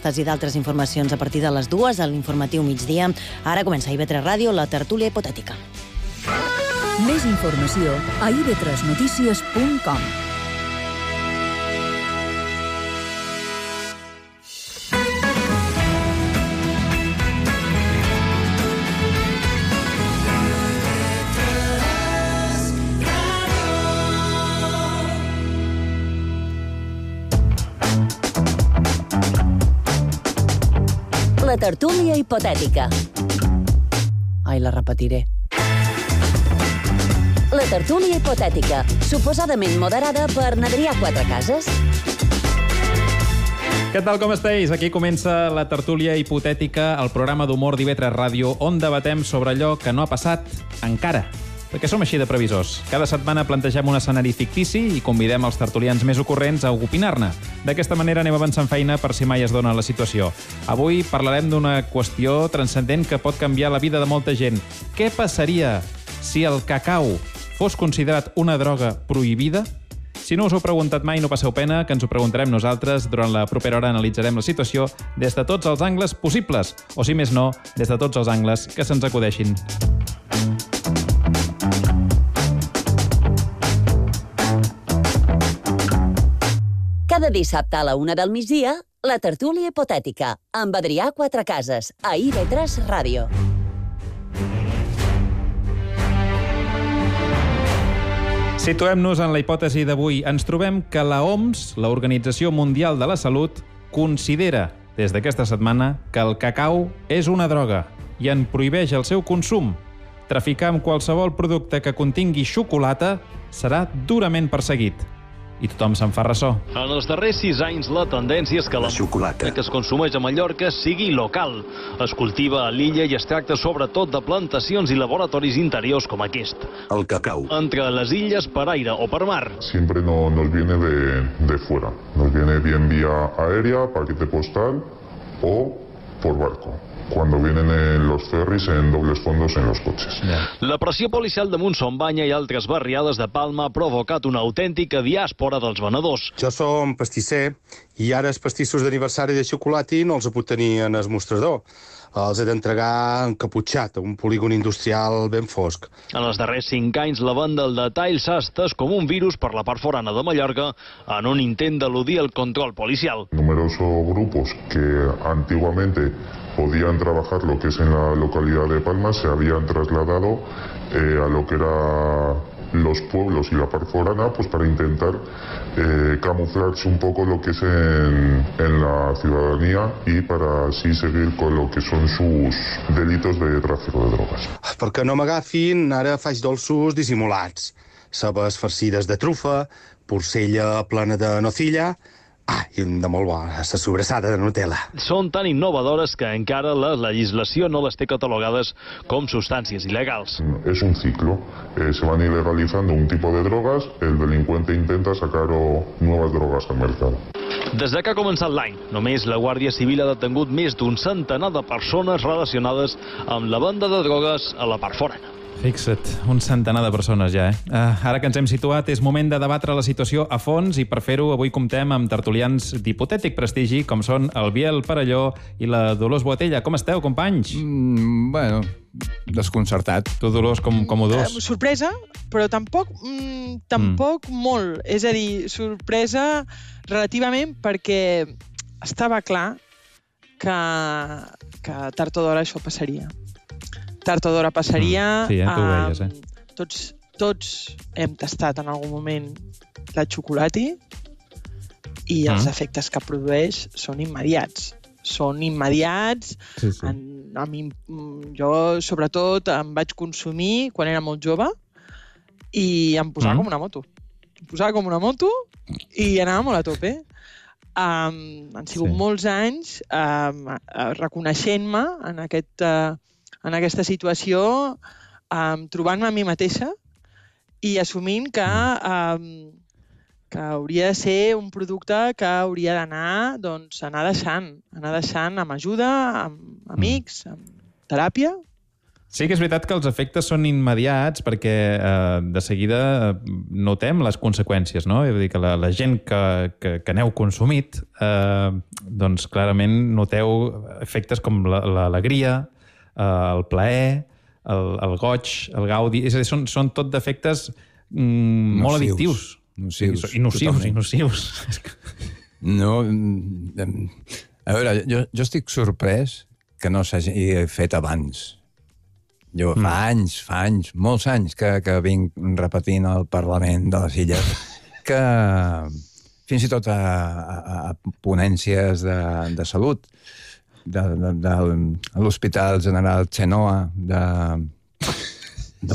d'aquestes i d'altres informacions a partir de les 2 a l'informatiu migdia. Ara comença a IB3 Ràdio, la tertúlia hipotètica. Més informació a ib3notícies.com. La tertúlia hipotètica. Ai, la repetiré. La tertúlia hipotètica, suposadament moderada per Adrià Quatrecases. Què tal, com esteu? Aquí comença la tertúlia hipotètica, el programa d'humor d'IB3 Ràdio, on debatem sobre allò que no ha passat encara. Perquè som així de previsors. Cada setmana plantegem un escenari fictici i convidem els tertulians més ocorrents a opinar-ne. D'aquesta manera anem avançant feina per si mai es dona la situació. Avui parlarem d'una qüestió transcendent que pot canviar la vida de molta gent. Què passaria si el cacau fos considerat una droga prohibida? Si no us ho heu preguntat mai, no passeu pena, que ens ho preguntarem nosaltres. Durant la propera hora analitzarem la situació des de tots els angles possibles, o si més no, des de tots els angles que se'ns acudeixin. Cada dissabte a la 1 del migdia, la tertúlia hipotètica, amb Adrià Quatrecases, a IB3 Ràdio. Situem-nos en la hipòtesi d'avui. Ens trobem que la OMS, l'Organització Mundial de la Salut, considera, des d'aquesta setmana, que el cacau és una droga i en prohibeix el seu consum. Traficar amb qualsevol producte que contingui xocolata serà durament perseguit. I tothom se'n fa ressò. En els darrers 6 anys, la tendència és que la xocolata que es consumeix a Mallorca sigui local. Es cultiva a l'illa i es tracta sobretot de plantacions i laboratoris interiors com aquest. El cacau. Entre les illes per aire o per mar. Siempre nos viene de fuera. Nos viene bien vía aérea, paquete postal o por barco. Cuando vienen en los ferris en dobles fondos en los coches. La pressió policial de Montsombanya i altres barriades de Palma ha provocat una autèntica diàspora dels venedors. Jo som pastisser i ara els pastissos d'aniversari de xocolata no els puc tenir en el mostrador. Els he d'entregar encaputxat a un polígon industrial ben fosc. En els darrers 5 anys, la venda al detall s'ha estès com un virus per la part forana de Mallorca en un intent d'eludir el control policial. Numerosos grupos que antiguamente podían trabajar lo que es en la localidad de Palma se habían trasladado a lo que era los pueblos y la parte forana, pues para intentar camuflarse un poco lo que es en la ciudadanía y para así seguir con lo que son sus delitos de tráfico de drogas. Perquè no m'agafin, ara faig dolços dissimulats. Cebes farcides de trufa, porcella plena de nocilla, i de molt bo, la sobrassada de Nutella. Són tan innovadores que encara la legislació no les té catalogades com substàncies il·legals. Es un ciclo. Se van ilegalizando un tipo de drogas, el delincuente intenta sacar nuevas drogas al mercado. Des que ha començat l'any, només la Guàrdia Civil ha detengut més d'un centenar de persones relacionades amb la venda de drogues a la part forana. Fixa't, un centenar de persones ja, Ara que ens hem situat, és moment de debatre la situació a fons i per fer-ho avui comptem amb tertulians d'hipotètic prestigi com són el Biel Parelló i la Dolors Boatella. Com esteu, companys? Bueno, desconcertat. Tu, Dolors, com ho dus? Sorpresa, però tampoc molt. És a dir, sorpresa relativament perquè estava clar que tard o d'hora això passaria. Tard o d'hora passaria. Sí, tu ho veies, Tots hem tastat en algun moment la xocolata i els efectes que produeix són immediats. Són immediats. Sí. Jo, sobretot, em vaig consumir quan era molt jove i em posava com una moto. Em posava com una moto i anava molt a tope. Han sigut molts anys reconeixent-me en aquesta situació, trobant-me a mi mateixa i assumint que hauria de ser un producte que hauria d'anar anar deixant amb ajuda, amb amics, amb teràpia. Sí que és veritat que els efectes són immediats perquè de seguida notem les conseqüències, no? Vull dir que la gent que n'heu consumit, doncs clarament noteu efectes com l'alegria, el plaer, el goig, el gaudi... És a dir, són tot d'efectes molt addictius. Nocius. I nocius. No, a veure, jo estic sorprès que no s'hagi fet abans. Jo fa anys, molts anys que vinc repetint al Parlament de les Illes que fins i tot a ponències de salut de l'Hospital General Chenoa de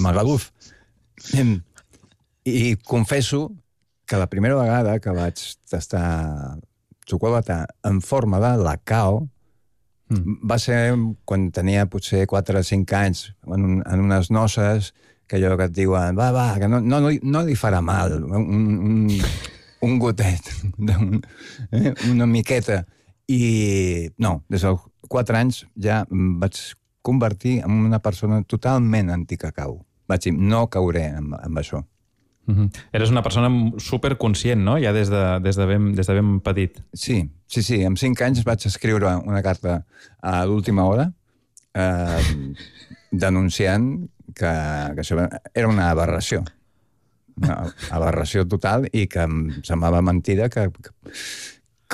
Magaluf. I confesso que la primera vegada que vaig tastar xocolata en forma de lacao va ser quan tenia potser 4 o 5 anys, en unes noces, que allò que et diuen, va, que no li farà mal, un gotet, una miqueta. I no, des dels 4 anys ja em vaig convertir en una persona totalment anticacau. Vaig dir, no cauré amb això. Eres una persona superconscient, no? Ja des de ben petit. Sí. Amb 5 anys vaig escriure una carta a l'última hora denunciant que això era una aberració. Una aberració total i que em semblava mentida que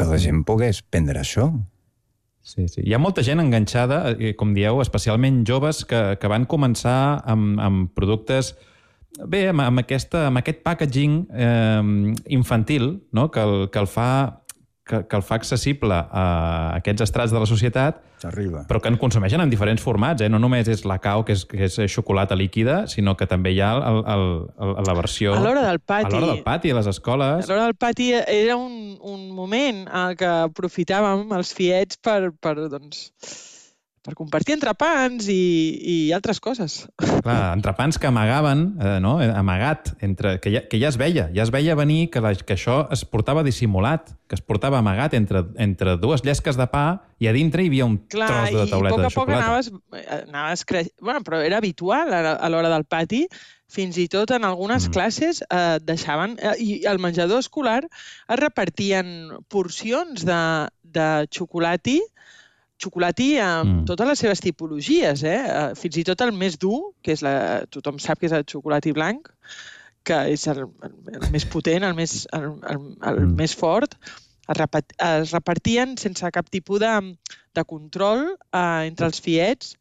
la gent pogués prendre això. Sí. Hi ha molta gent enganxada, com dieu, especialment joves, que van començar amb productes... Bé, amb aquest packaging infantil, no? que el fa accessible a aquests estrats de la societat, però que en consumeixen en diferents formats. No només és lacao, que és xocolata líquida, sinó que també hi ha la versió... A l'hora del pati. A l'hora del pati, a les escoles. A l'hora del pati era un moment en què aprofitàvem els fiets per compartir entrepans i altres coses. Clar, entrepans que amagaven, no? Amagat, que ja es veia venir que això es portava dissimulat, que es portava amagat entre dues llesques de pa i a dintre hi havia un tros de tauleta de xocolata. I a poc anaves creixent. Bueno, però era habitual a l'hora del pati. Fins i tot en algunes classes deixaven... I al menjador escolar es repartien porcions de xocolati amb totes les seves tipologies, fins i tot el més dur, que és tothom sap que és el xocolati blanc, que és el més potent, el més fort, es repartien sense cap tipus de control entre els fiets.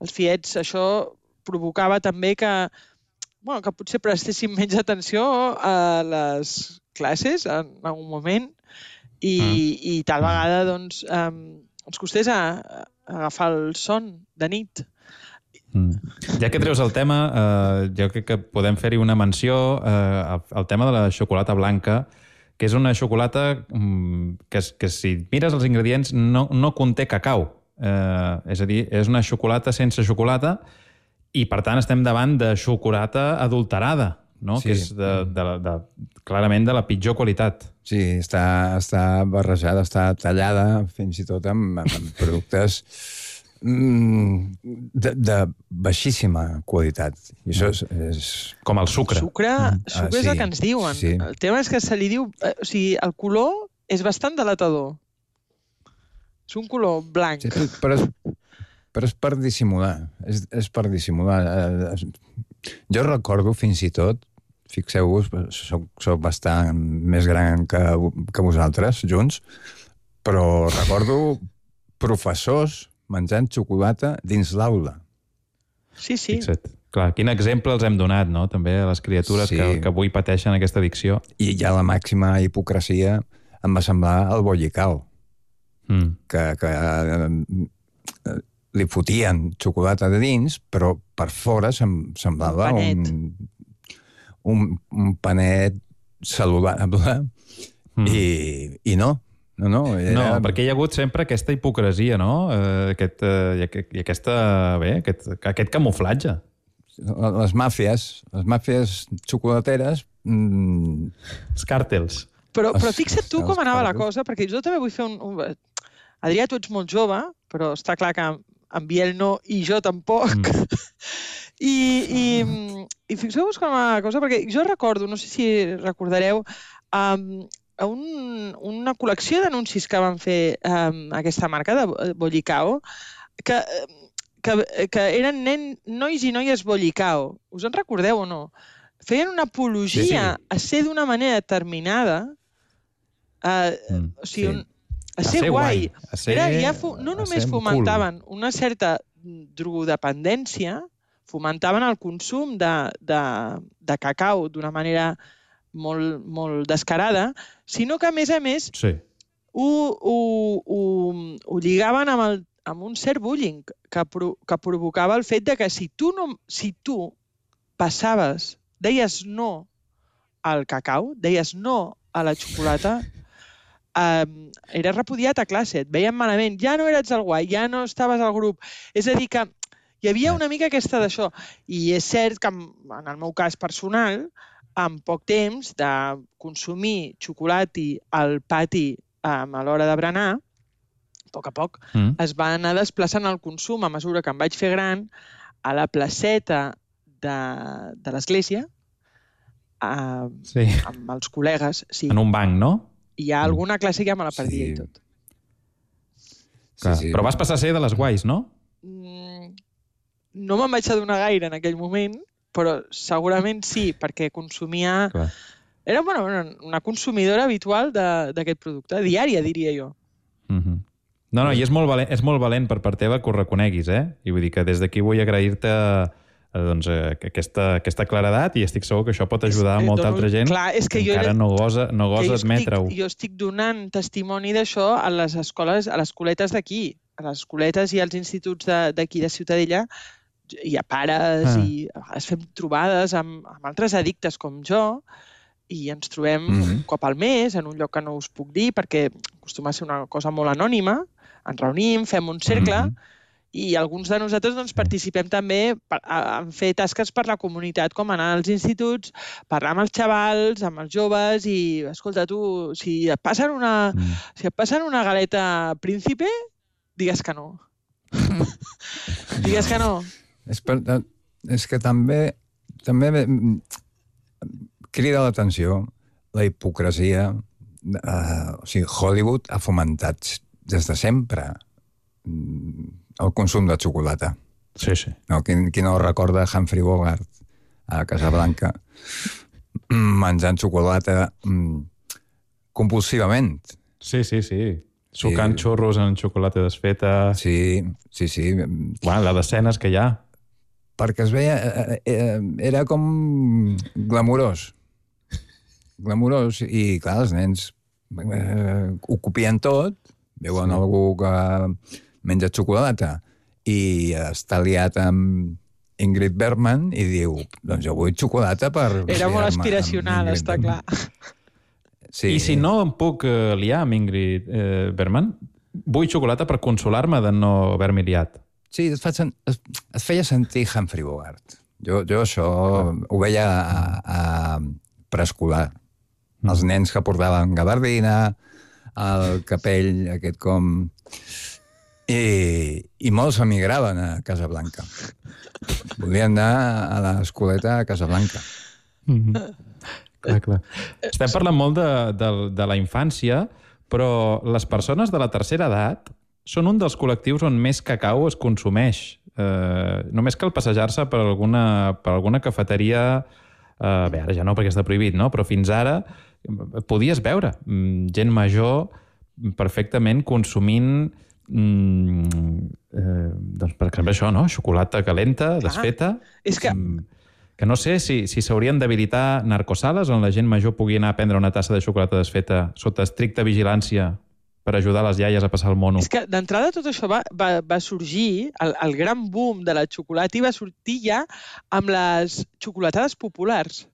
Els fiets, això provocava també que potser prestéssim menys atenció a les classes en algun moment i tal vegada, doncs, ens costés agafar el son de nit. Ja que treus el tema, jo crec que podem fer-hi una menció al tema de la xocolata blanca, que és una xocolata que si mires els ingredients no conté cacau. És a dir, és una xocolata sense xocolata i, per tant, estem davant de xocolata adulterada, no? Que és clarament de la pitjor qualitat. Sí, està barrejada, està tallada fins i tot amb productes de baixíssima qualitat. I això és... Com el sucre. Sucre és el que ens diuen. Sí. El tema és que se li diu... O sigui, el color és bastant delatador. És un color blanc. Sí, però és per dissimular. És per dissimular. Jo recordo fins i tot, fixeu-vos, soc bastant més gran que vosaltres, junts, però recordo professors menjant xocolata dins l'aula. Sí. Fixa't. Clar, quin exemple els hem donat, no?, també a les criatures que avui pateixen aquesta addicció. I ja la màxima hipocresia em va semblar el bollicao, que li fotien xocolata de dins, però per fora semblava un panet saludable i no. No, perquè hi ha hagut sempre aquesta hipocresia, no? Aquest camuflatge. Les màfies xocolateres... Els càrtels. Però fixa't tu com anava la cosa, perquè jo també vull fer Adrià, tu ets molt jove, però està clar que en Biel no, i jo tampoc. I fixeu-vos com una cosa, perquè jo recordo, no sé si recordareu, una col·lecció d'anuncis que van fer aquesta marca de Bollicao, que eren nois i noies Bollicao. Us en recordeu o no? Feien una apologia a ser d'una manera determinada, o sigui, a ser guai. No només fomentaven una certa drogodependència, fomentaven el consum de cacau d'una manera molt descarada, sinó que, a més, ho lligaven amb un cert bullying que provocava el fet que si tu passaves, deies no al cacau, deies no a la xocolata, eres repudiat a classe, et veien malament, ja no eres el guai, ja no estaves al grup. És a dir, que hi havia una mica aquesta d'això. I és cert que, en el meu cas personal, en poc temps de consumir xocolati al pati a l'hora de berenar, a poc, es va anar desplaçant el consum a mesura que em vaig fer gran a la placeta de l'església, amb els col·legues. En un banc, no? Hi ha alguna classe que ja me la perdia i tot. Però vas passar a ser de les guais, no? No me'n vaig adonar gaire en aquell moment, però segurament sí, perquè consumia... Era una consumidora habitual d'aquest producte, diària, diria jo. No, i és molt valent per part teva que ho reconeguis, eh? I vull dir que des d'aquí vull agrair-te aquesta claredat i estic segur que això pot ajudar a molta altra gent que encara no gosa admetre-ho. Jo estic donant testimoni d'això a les escoles, a les escoletes d'aquí, a les escoletes i als instituts d'aquí de Ciutadella. Hi ha pares i a vegades fem trobades amb altres addictes com jo i ens trobem un cop al mes en un lloc que no us puc dir perquè acostuma a ser una cosa molt anònima. Ens reunim, fem un cercle i alguns de nosaltres participem també en fer tasques per la comunitat, com anar als instituts, parlar amb els xavals, amb els joves i, escolta, tu, si et passen una galeta príncipe, digues que no. Digues que no. És que també crida l'atenció la hipocresia. O sigui, Hollywood ha fomentat des de sempre el consum de xocolata. Sí. Qui no recorda Humphrey Bogart a Casablanca menjant xocolata compulsivament. Sí. Sucant xurros en xocolata desfeta. Sí. La d'escenes que hi ha. Perquè es veia... Era com glamurós. I, clar, els nens ho copien tot, veuen algú que menja xocolata i està liat amb Ingrid Bergman i diu, doncs jo vull xocolata per... Era molt aspiracional, està clar. I si no em puc liar amb Ingrid Bergman, vull xocolata per consolar-me de no haver-m'hi liat. Sí, et feia sentir Humphrey Bogart. Jo això ho veia a preescolar. Els nens que portaven gabardina, el capell aquest com... I molts emigraven a Casablanca. Volien anar a l'escoleta a Casablanca. Clar. Estem parlant molt de la infància, però les persones de la tercera edat són un dels col·lectius on més cacau es consumeix. Només cal passejar-se per alguna cafeteria... Bé, ara ja no, perquè està prohibit, no? Però fins ara podies veure gent major perfectament consumint doncs, per exemple, això, no? Xocolata calenta, desfeta. És que no sé si s'haurien d'habilitar narcosales on la gent major pugui anar a prendre una tassa de xocolata desfeta sota estricta vigilància per ajudar les iaies a passar el mono. És que d'entrada tot això va sorgir, el gran boom de la xocolata i va sortir ja amb les xocolatades populars.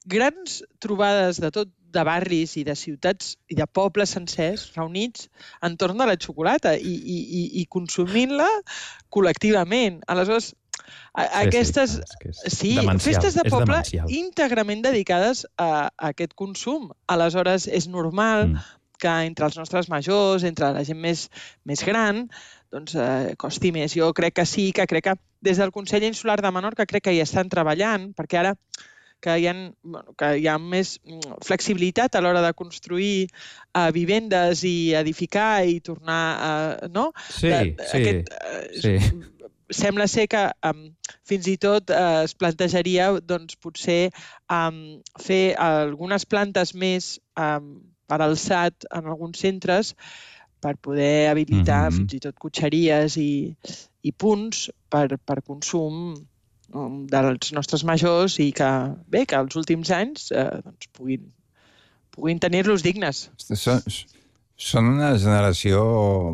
Grans trobades de barris i de ciutats i de pobles sencers reunits entorn de la xocolata i consumint-la col·lectivament. Aleshores, aquestes festes de poble íntegrament dedicades a aquest consum. Aleshores, és normal que entre els nostres majors, entre la gent més gran, doncs costi més. Jo crec que sí, que crec que des del Consell Insular de Menorca crec que hi estan treballant, perquè ara que hi ha més flexibilitat a l'hora de construir vivendes i edificar i tornar a... No? Sí. Sembla ser que fins i tot es plantejaria doncs, potser fer algunes plantes més per alçat en alguns centres per poder habilitar fins i tot cotxeries i punts per consum dels nostres majors i que els últims anys doncs, puguin tenir-los dignes. Són una generació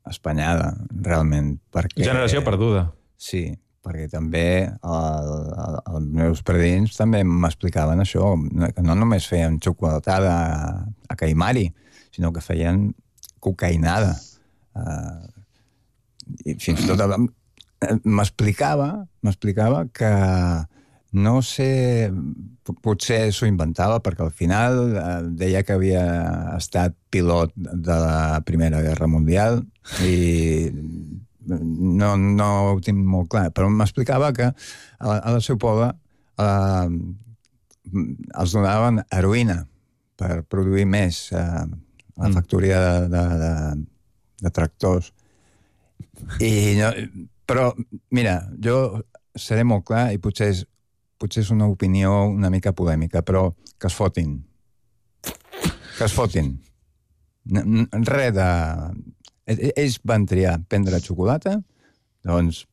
espanyada, realment. Generació perduda. Sí, perquè també els meus predins també m'explicaven això, que no només feien xocolatada a Caimari, sinó que feien cocaïnada. I fins i tot m'explicava que no sé, potser s'ho inventava perquè al final deia que havia estat pilot de la Primera Guerra Mundial i no ho tinc molt clar, però m'explicava que al seu poble els donaven heroïna per produir més la factoria de tractors. Però, mira, jo seré molt clar i potser és una opinió una mica polèmica, però que es fotin. Que es fotin. Res de... Ells van triar prendre xocolata, doncs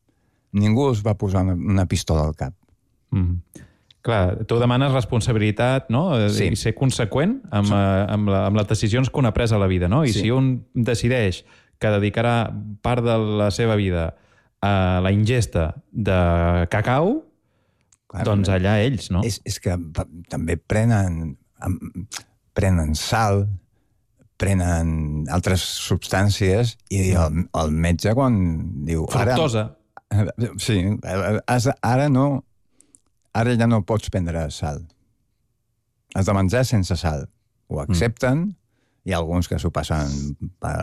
ningú els va posar una pistola al cap. Clar, tu demanes responsabilitat, no? Sí. I ser conseqüent amb les decisions que un ha pres a la vida, no? I si un decideix que dedicarà part de la seva vida a la ingesta de cacau, doncs allà ells, no? És que també prenen sal, prenen altres substàncies i el metge quan diu... Fructosa. Sí, ara ja no pots prendre sal. Has de menjar sense sal. Ho accepten, hi ha alguns que s'ho passen per...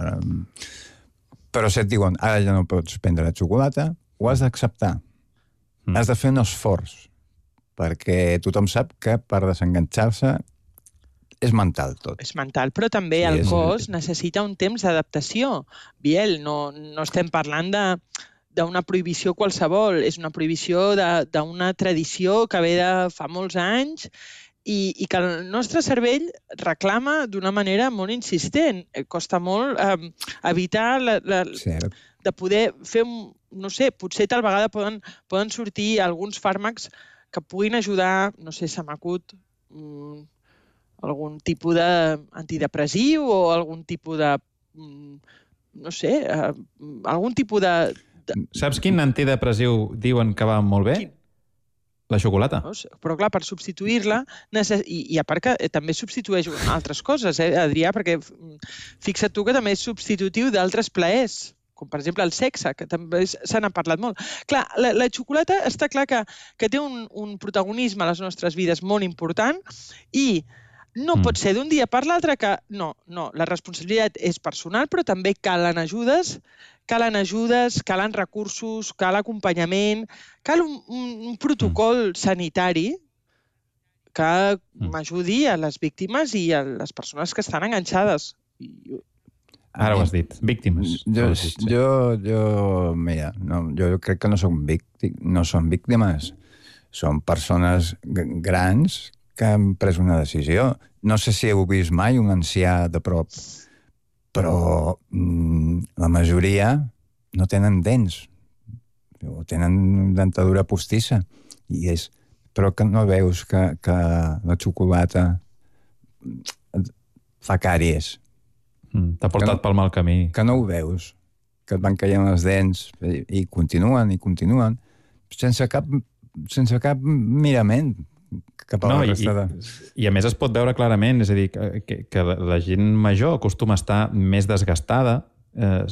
Però si et diuen, ara ja no pots prendre xocolata, ho has d'acceptar. Has de fer un esforç, perquè tothom sap que per desenganxar-se és mental tot. És mental, però també el cos necessita un temps d'adaptació. Biel, no estem parlant d'una prohibició qualsevol, és una prohibició d'una tradició que ve de fa molts anys i que el nostre cervell reclama d'una manera molt insistent. Costa molt evitar de poder fer, no sé, potser tal vegada poden sortir alguns fàrmacs que puguin ajudar, no sé, se m'acut algun tipus d'antidepressiu o algun tipus de, no sé, algun tipus de... Saps quin antidepressiu diuen que va molt bé? Quin? La xocolata. Però clar, per substituir-la, i a part que també substitueix altres coses, Adrià, perquè fixa't tu que també és substitutiu d'altres plaers, com per exemple el sexe, que també se n'ha parlat molt. Clar, la xocolata està clar que té un protagonisme a les nostres vides molt important i no pot ser d'un dia per l'altre que... No, la responsabilitat és personal, però també calen ajudes, calen recursos, cal acompanyament, cal un protocol sanitari que m'ajudi a les víctimes i a les persones que estan enganxades. Ara ho has dit, víctimes. Mira, jo crec que no són víctimes, són persones grans que han pres una decisió. No sé si heu vist mai un ancià de prop, però la majoria no tenen dents, o tenen dentadura postissa, però que no veus que la xocolata fa càries. T'ha portat pel mal camí. Que no ho veus, que et van caient les dents i continuen, sense cap mirament cap a la resta de... I a més es pot veure clarament, és a dir, que la gent major acostuma a estar més desgastada,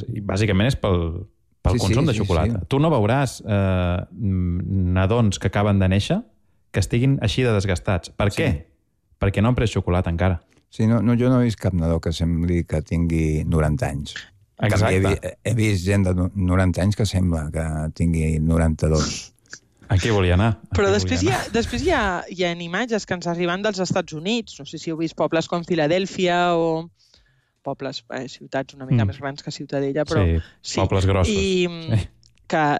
i bàsicament és pel consum de xocolata. Tu no veuràs nadons que acaben de néixer que estiguin així de desgastats. Per què? Perquè no han pres xocolata encara. Sí, jo no he vist cap nadó que sembli que tingui 90 anys. Exacte. He vist gent de 90 anys que sembla que tingui 92. Aquí volia anar. Però després hi ha imatges que ens arriben dels Estats Units. No sé si heu vist pobles com Filadèlfia o pobles, ciutats una mica més grans que Ciutadella, però... Sí, pobles grossos. I clar,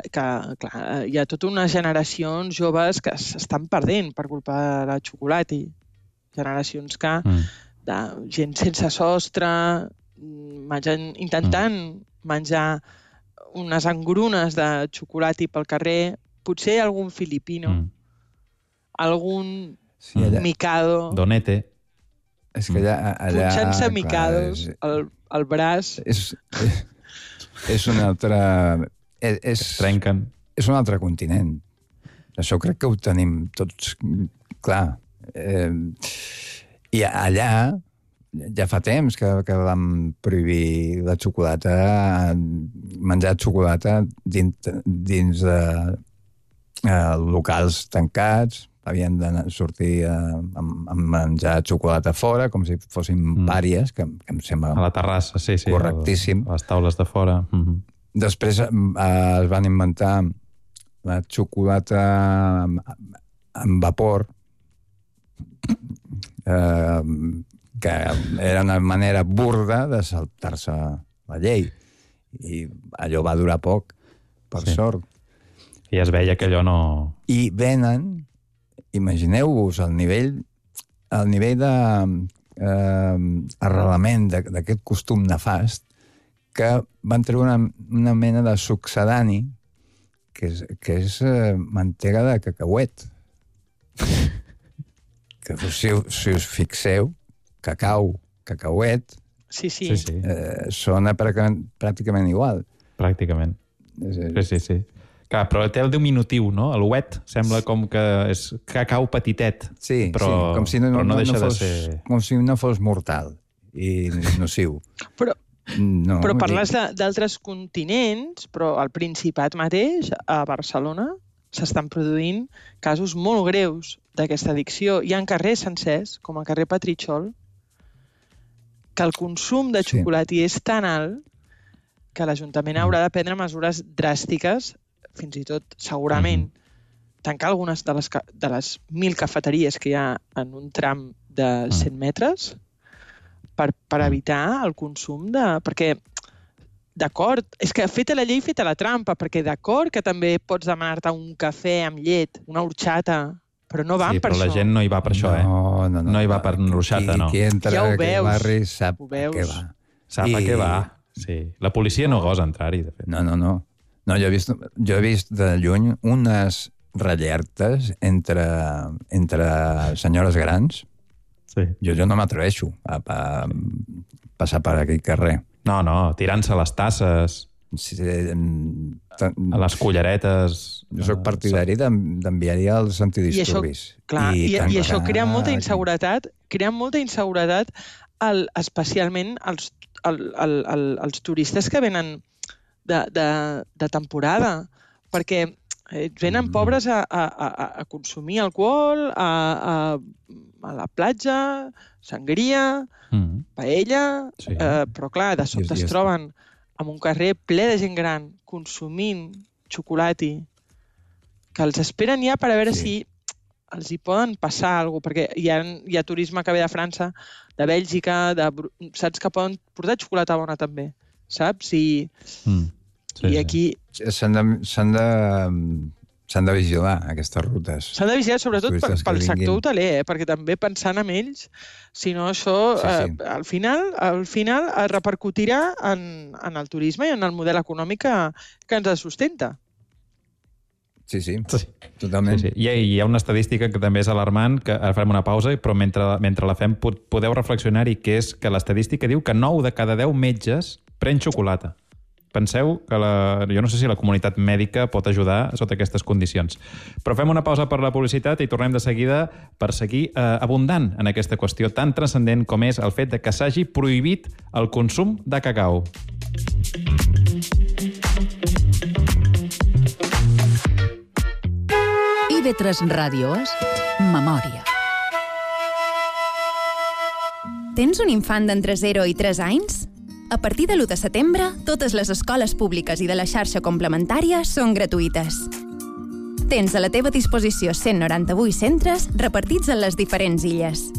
hi ha tota unes generacions joves que s'estan perdent per culpa de la xocolata. Generacions que... de gent sense sostre, intentant menjar unes engrunes de xocolata pel carrer, potser algun filipino, algun micado... Donete. És que allà... Punxant-se micados al braç... És un altre... Trenquen. És un altre continent. Això crec que ho tenim tots clar. I allà ja fa temps que vam prohibir la xocolata, menjar xocolata dins de locals tancats, havien de sortir a menjar xocolata fora, com si fossin pàries, que em sembla... A la terrassa, sí. Correctíssim. A les taules de fora. Després es van inventar la xocolata amb vapor, que era una manera burda de saltar-se la llei. I allò va durar poc, per sort. I es veia que allò no... I venen, imagineu-vos el nivell de arrelament d'aquest costum nefast, que van treure una mena de succedani que és mantega de cacauet. Que si us fixeu, cacauet, sona pràcticament igual. Pràcticament. Sí. Clar, però té el diminutiu, no? El wet sembla com que és cacau petitet. Sí, però com si no deixa de ser... Com si no fos mortal i nociu. Però parles d'altres continents, però al Principat mateix, a Barcelona, s'estan produint casos molt greus d'aquesta addicció. Hi ha carrers sencers, com el carrer Petritxol, que el consum de xocolata és tan alt que l'Ajuntament haurà de prendre mesures dràstiques, fins i tot, segurament, tancar algunes de les 1.000 cafeteries que hi ha en un tram de 100 metres per evitar el consum de... Perquè, d'acord, és que feta la llei, feta la trampa, perquè d'acord que també pots demanar-te un cafè amb llet, una horxata, però no van per això. Sí, però la gent no hi va per això, No hi va per l'horxata, no. Qui entra ja a aquell barri sap a què va. Sap a què va, sí. La policia no gosa entrar-hi, de fet. No, jo he vist de lluny unes rellertes entre senyores grans. Sí. Jo no m'atreveixo a passar per aquell carrer. No, tirant-se les tasses, a les culleretes... Jo soc partidari d'enviar-hi els antidisturbis. I això crea molta inseguretat, especialment als turistes que venen de temporada, perquè venen pobres a consumir alcohol, a la platja, sangria, paella, però clar, de sobte es troben en un carrer ple de gent gran consumint xocolata que els esperen ja per a veure si els hi poden passar alguna cosa, perquè hi ha turisme que ve de França, de Bèlgica, saps que poden portar xocolata bona també, saps? I aquí... S'han de vigilar, aquestes rutes. S'han de vigilar, sobretot pel sector hoteler, perquè també pensant en ells, si no això, al final es repercutirà en el turisme i en el model econòmic que ens sustenta. Sí, totalment. Sí. Hi ha una estadística que també és alarmant, que ara farem una pausa, però mentre la fem podeu reflexionar-hi, que és que l'estadística diu que 9 de cada 10 metges pren xocolata. Penseu que jo no sé si la comunitat mèdica pot ajudar sota aquestes condicions. Però fem una pausa per la publicitat i tornem de seguida per seguir abundant en aquesta qüestió tan transcendent com és el fet de que s'hagi prohibit el consum de cacau. IB3 Ràdio és Memòria. Tens un infant d'entre 0 i 3 anys? A partir de l'1 de setembre, totes les escoles públiques i de la xarxa complementària són gratuïtes. Tens a la teva disposició 198 centres repartits en les diferents illes.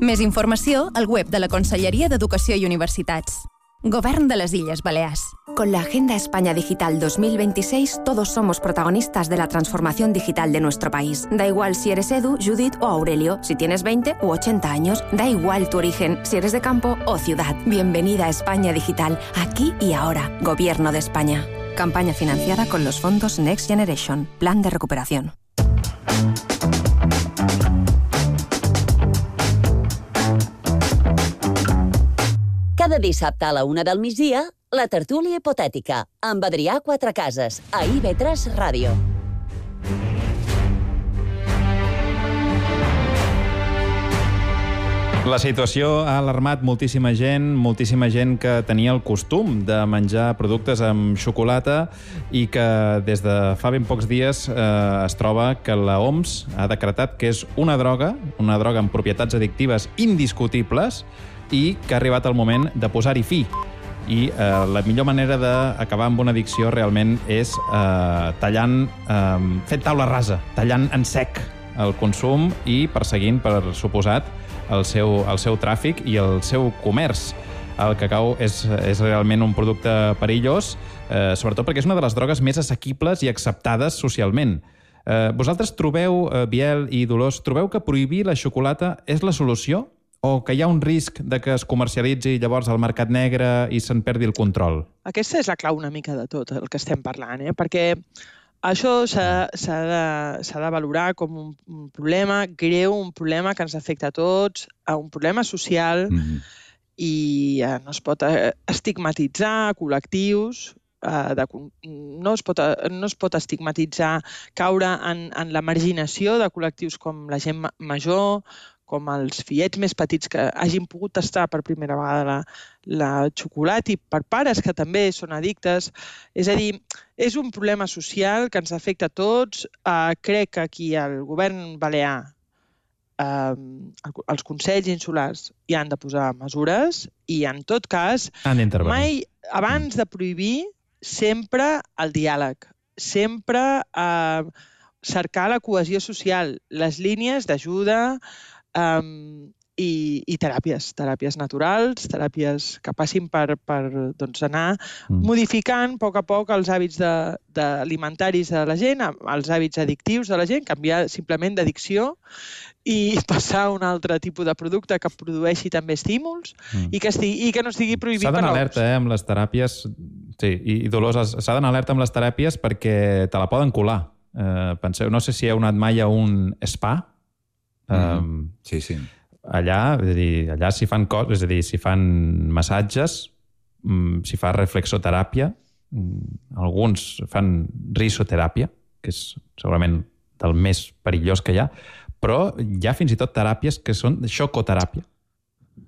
Més informació al web de la Conselleria d'Educació i Universitats. Govern de les Illes Balears. Con la Agenda España Digital 2026, todos somos protagonistas de la transformación digital de nuestro país. Da igual si eres Edu, Judith o Aurelio, si tienes 20 u 80 años, da igual tu origen, si eres de campo o ciudad. Bienvenida a España Digital, aquí y ahora. Gobierno de España. Campaña financiada con los fondos Next Generation, Plan de Recuperación. Cada dissabte a la 1 del migdia, la tertúlia hipotètica, amb Adrià Quatrecases, a IB3 Ràdio. La situació ha alarmat moltíssima gent que tenia el costum de menjar productes amb xocolata i que des de fa ben pocs dies es troba que la OMS ha decretat que és una droga amb propietats addictives indiscutibles i que ha arribat el moment de posar-hi fi. I la millor manera d'acabar amb una addicció realment és fent taula rasa, tallant en sec el consum i perseguint, per suposat, el seu tràfic i el seu comerç. El cacau és realment un producte perillós, sobretot perquè és una de les drogues més assequibles i acceptades socialment. Vosaltres trobeu, Biel i Dolors, trobeu que prohibir la xocolata és la solució? O que hi ha un risc de que es comercialitzi llavors al mercat negre i se'n perdi el control? Aquesta és la clau una mica de tot el que estem parlant, perquè això s'ha de valorar com un problema greu, un problema que ens afecta a tots, un problema social, i no es pot estigmatitzar col·lectius, no es pot estigmatitzar, caure en la marginació de col·lectius com la gent major, com els fillets més petits que hagin pogut tastar per primera vegada la xocolata i per pares que també són addictes. És a dir, és un problema social que ens afecta a tots. Crec que aquí el govern balear, els consells insulars hi han de posar mesures i, en tot cas, mai abans de prohibir, sempre el diàleg, sempre cercar la cohesió social, les línies d'ajuda, i teràpies naturals, teràpies que passin per anar modificant a poc els hàbits alimentaris de la gent, els hàbits addictius de la gent, canviar simplement d'addicció i passar a un altre tipus de producte que produeixi també estímuls i que no estigui prohibit per S'ha d'anar alerta amb les teràpies, sí, i Dolors, s'ha d'anar alerta amb les teràpies perquè te la poden colar. Penseu, no sé si heu anat mai a un spa. Sí. Allà s'hi fan coses, és a dir, s'hi fan massatges, s'hi fa reflexoteràpia, alguns fan risoteràpia, que és segurament del més perillós que hi ha, però hi ha fins i tot teràpies que són xocoteràpia,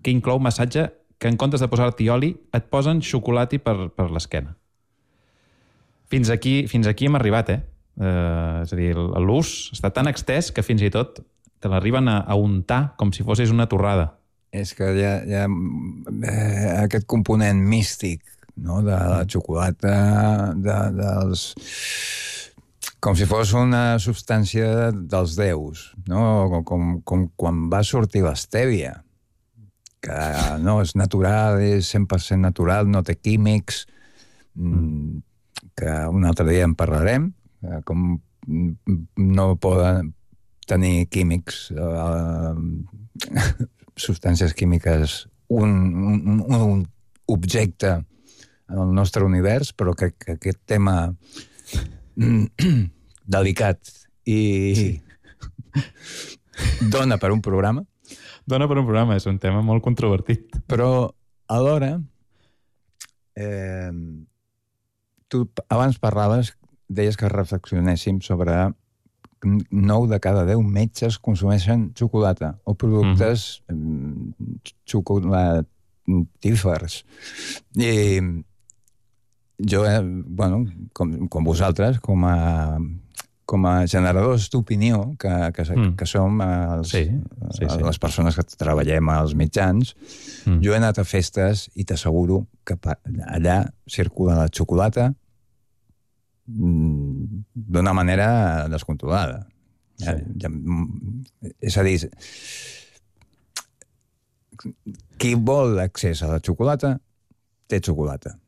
que inclou massatge que en comptes de posar-t'hi oli et posen xocolata per l'esquena. Fins aquí hem arribat, és a dir, l'ús està tan extès que fins i tot te l'arriben a untar com si fossis una torrada. És que hi ha aquest component místic, no?, de la xocolata, com si fos una substància dels déus, no? Com quan va sortir l'estèvia, que no, és natural, és 100% natural, no té químics, que un altre dia en parlarem, com no poden tenir químics, substàncies químiques, un objecte en el nostre univers, però que aquest tema delicat i dona per un programa. Dona per un programa, és un tema molt controvertit. Però alhora, tu abans parlaves, deies que reflexionéssim sobre 9 de cada 10 metges consumeixen xocolata o productes xocolatífers. I jo, com vosaltres, com com a generadors d'opinió que som les persones que treballem als mitjans, jo he anat a festes i t'asseguro que allà circula la xocolata d'una manera descontrolada. És a dir, qui vol accés a la xocolata té xocolata.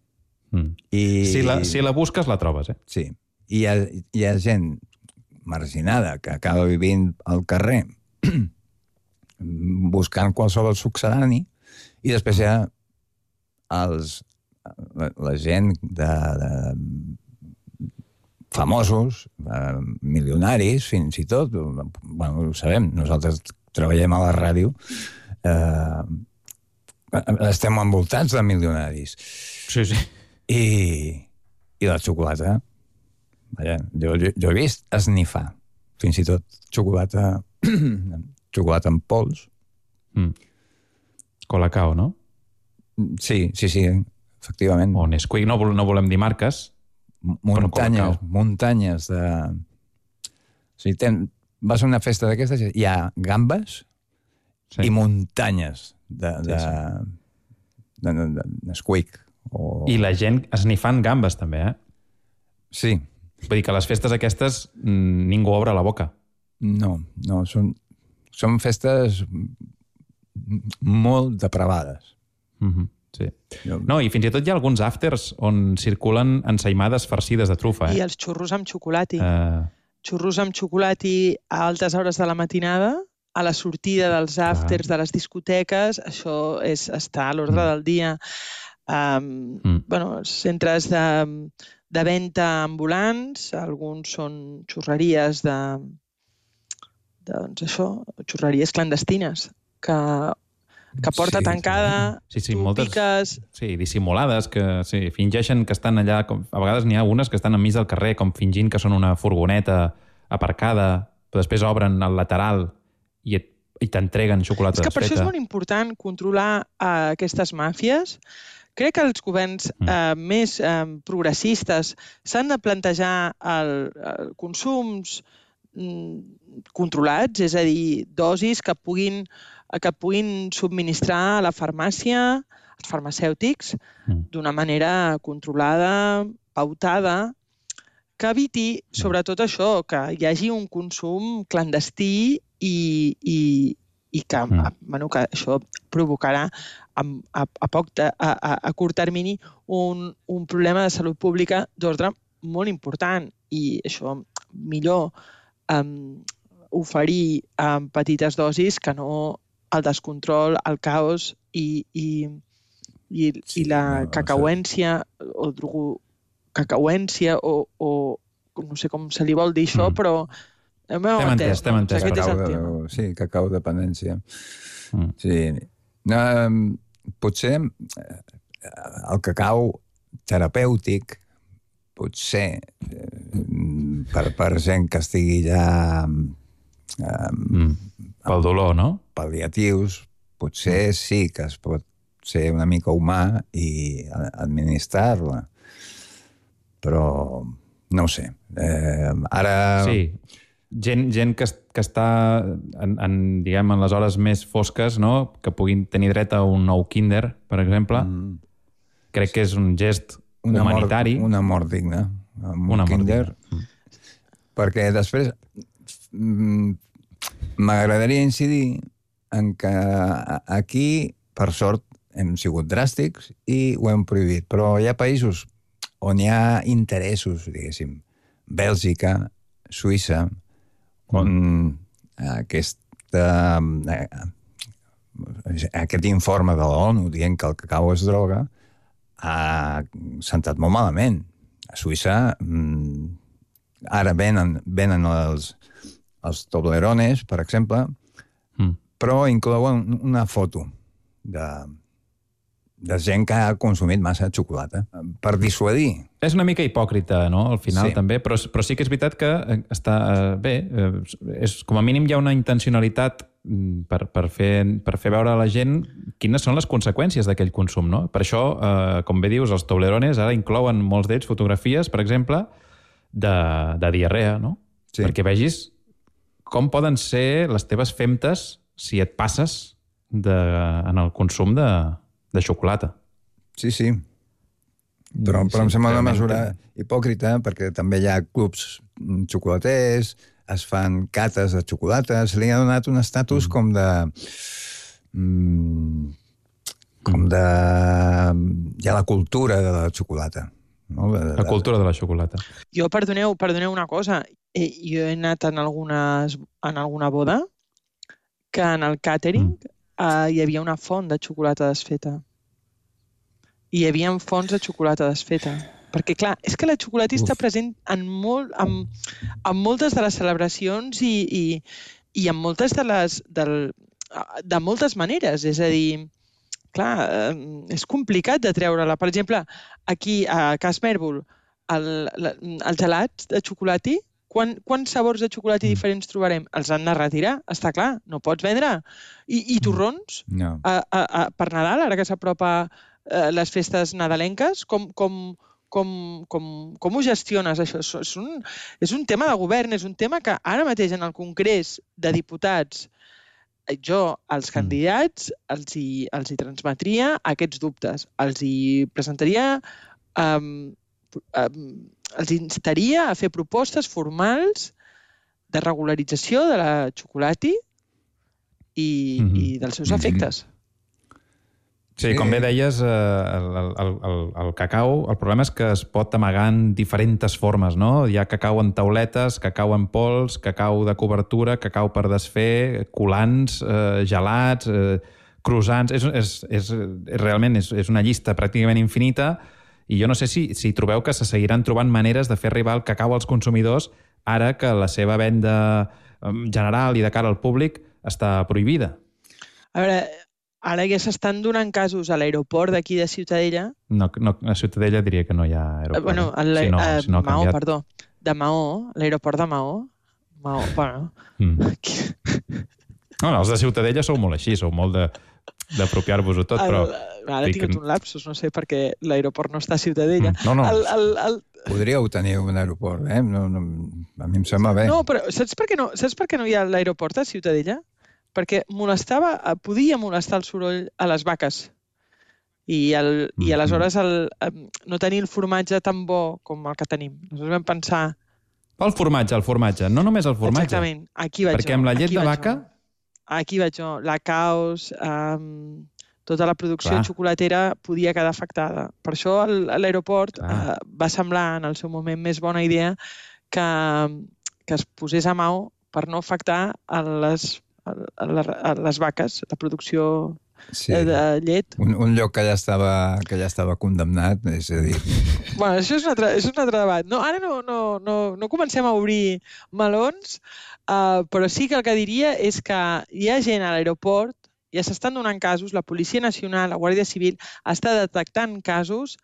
Si la busques, la trobes, eh? Sí. Hi ha gent marginada que acaba vivint al carrer buscant qualsevol succedani i després hi ha la gent de famosos, milionaris, fins i tot. Bueno, ho sabem, nosaltres treballem a la ràdio, estem envoltats de milionaris. Sí. I la xocolata, jo he vist esnifar, fins i tot xocolata en pols. Colacao, no? Sí, efectivament. O Nesquik, no volem dir marques. Muntanyes de... O sigui, vas a una festa d'aquestes, hi ha gambes i muntanyes de Nesquik. I la gent esnifant gambes, també, eh? Sí. Vull dir que a les festes aquestes ningú obre la boca. No, són festes molt depravades. Sí. No, i fins i tot hi ha alguns afters on circulen ensaïmades farcides de trufa. I els xurros amb xocolati. Xurros amb xocolati a altes hores de la matinada, a la sortida dels afters de les discoteques, això està a l'ordre del dia. Els centres de venda ambulants, alguns són xurreries xurreries clandestines, que porta tancada, piques... Sí, dissimulades, que fingeixen que estan allà... A vegades n'hi ha unes que estan enmig del carrer com fingint que són una furgoneta aparcada, però després obren el lateral i t'entreguen xocolata desfeta. És que per això és molt important controlar aquestes màfies. Crec que els governs més progressistes s'han de plantejar consums controlats, és a dir, dosis que puguin subministrar a la farmàcia, als farmacèutics, d'una manera controlada, pautada, que eviti, sobretot això, que hi hagi un consum clandestí i que això provocarà a curt termini un problema de salut pública d'ordre molt important. I això millor oferir en petites dosis que no el descontrol, el caos i la cacauència o no sé com se li vol dir això, però t'hem entès. Sí, cacau dependència. Sí. Potser el cacau terapèutic, potser per gent que estigui ja pel dolor, no? Pal·liatius, potser sí que es pot ser una mica humà i administrar-la. Però no ho sé. Ara... Sí, gent que està en les hores més fosques, no? Que puguin tenir dret a un nou Kinder, per exemple. Crec que és un gest humanitari. Una mort digna. Un Kinder. Perquè després m'agradaria incidir en que aquí, per sort, hem sigut dràstics i ho hem prohibit. Però hi ha països on hi ha interessos, diguéssim, Bèlgica, Suïssa, on aquest informe de l'ONU dient que el cacau és droga ha sentat molt malament. A Suïssa ara venen els Toblerones, per exemple, però inclouen una foto de gent que ha consumit massa xocolata per dissuadir. És una mica hipòcrita, no?, al final, també, però sí que és veritat que està bé. Com a mínim hi ha una intencionalitat per fer veure a la gent quines són les conseqüències d'aquell consum, no? Per això, com bé dius, els Toblerones ara inclouen molts d'ells fotografies, per exemple, de diarrea, no? perquè vegis com poden ser les teves femtes si et passes en el consum de xocolata. Sí. Però em sembla una mesura hipòcrita, perquè també hi ha clubs xocolaters, es fan cates de xocolata, se li ha donat un estatus com de... Hi ha la cultura de la xocolata. No? La cultura de la xocolata. Jo, perdoneu una cosa, jo he anat en alguna boda que en el càtering hi havia una font de xocolata desfeta. Hi havia fonts de xocolata desfeta. Perquè, clar, és que la xocolata està present en moltes de les celebracions i en moltes de moltes maneres. És a dir, clar, és complicat de treure-la. Per exemple, aquí a Cas Mèrbol, els gelats de xocolata, quants sabors de xocolata diferents trobarem? Els han de retirar, està clar, no pots vendre. I torrons? No. Per Nadal, ara que s'apropa les festes nadalenques, com ho gestiones, això? És un tema de govern, és un tema que ara mateix en el Congrés de Diputats jo als candidats els hi transmetria aquests dubtes. Els hi presentaria, els instaria a fer propostes formals de regularització de la xocolata i dels seus efectes. Sí, com bé deies, el cacau, el problema és que es pot amagar en diferents formes, no? Hi ha cacau en tauletes, cacau en pols, cacau de cobertura, cacau per desfer, colants, gelats, croissants... Realment és una llista pràcticament infinita i jo no sé si trobeu que se seguiran trobant maneres de fer arribar el cacau als consumidors ara que la seva venda general i de cara al públic està prohibida. A veure... Ara ja s'estan donant casos a l'aeroport d'aquí de Ciutadella. No, a Ciutadella diria que no hi ha aeroport. Bueno, Maó, perdó. De Maó, l'aeroport de Maó. Bueno. No, els de Ciutadella sou molt així, sou molt d'apropiar-vos-ho tot, però... Ara he tingut un lapsus, no sé, perquè l'aeroport no està a Ciutadella. No. Podríeu tenir un aeroport, a mi em sembla bé. No, però saps per què no hi ha l'aeroport a Ciutadella? Perquè podia molestar el soroll a les vaques. I aleshores no tenir el formatge tan bo com el que tenim. Aleshores vam pensar... El formatge. No només el formatge. Exactament. Aquí vaig jo. Perquè amb la llet de vaca... Aquí vaig jo. La caos, tota la producció xocolatera podia quedar afectada. Per això l'aeroport va semblar en el seu moment més bona idea que es posés a Maó per no afectar a les vaques, la producció de llet. Un lloc que ja estava condemnat, és a dir... Bueno, això és un altre debat. No, ara no comencem a obrir melons, però sí que el que diria és que hi ha gent a l'aeroport, ja s'estan donant casos, la Policia Nacional, la Guàrdia Civil, està detectant casos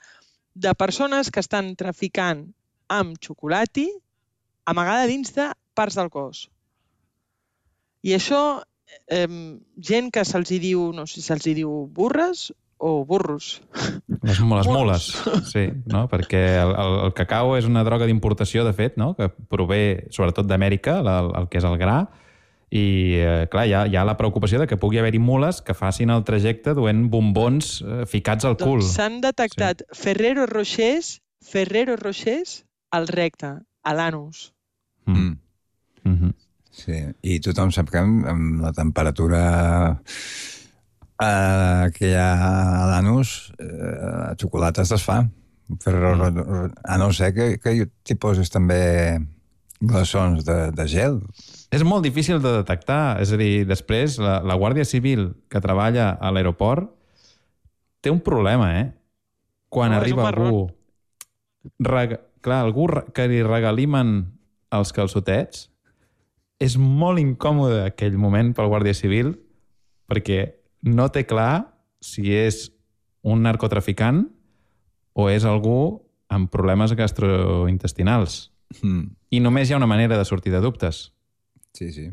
de persones que estan traficant amb xocolata amagada dins de parts del cos. I això, gent que se'ls diu, no sé si se'ls diu burres o burros. Les mules, sí, no? Perquè el cacau és una droga d'importació, de fet, no? Que prové sobretot d'Amèrica, el que és el gra, i clar, hi ha la preocupació de que pugui haver-hi mules que facin el trajecte duent bombons ficats al cul. Doncs s'han detectat Ferrero Rochers al recte, a l'anus. Sí, i tothom sap que amb la temperatura que hi ha a l'anus, la xocolata es desfà. A no ser que t'hi poses també glaçons de gel. És molt difícil de detectar. És a dir, després, la Guàrdia Civil que treballa a l'aeroport té un problema, Quan arriba algú... Clar, algú que li regalimen els calçotets, és molt incòmode aquell moment pel Guàrdia Civil perquè no té clar si és un narcotraficant o és algú amb problemes gastrointestinals. I només hi ha una manera de sortir de dubtes. Sí.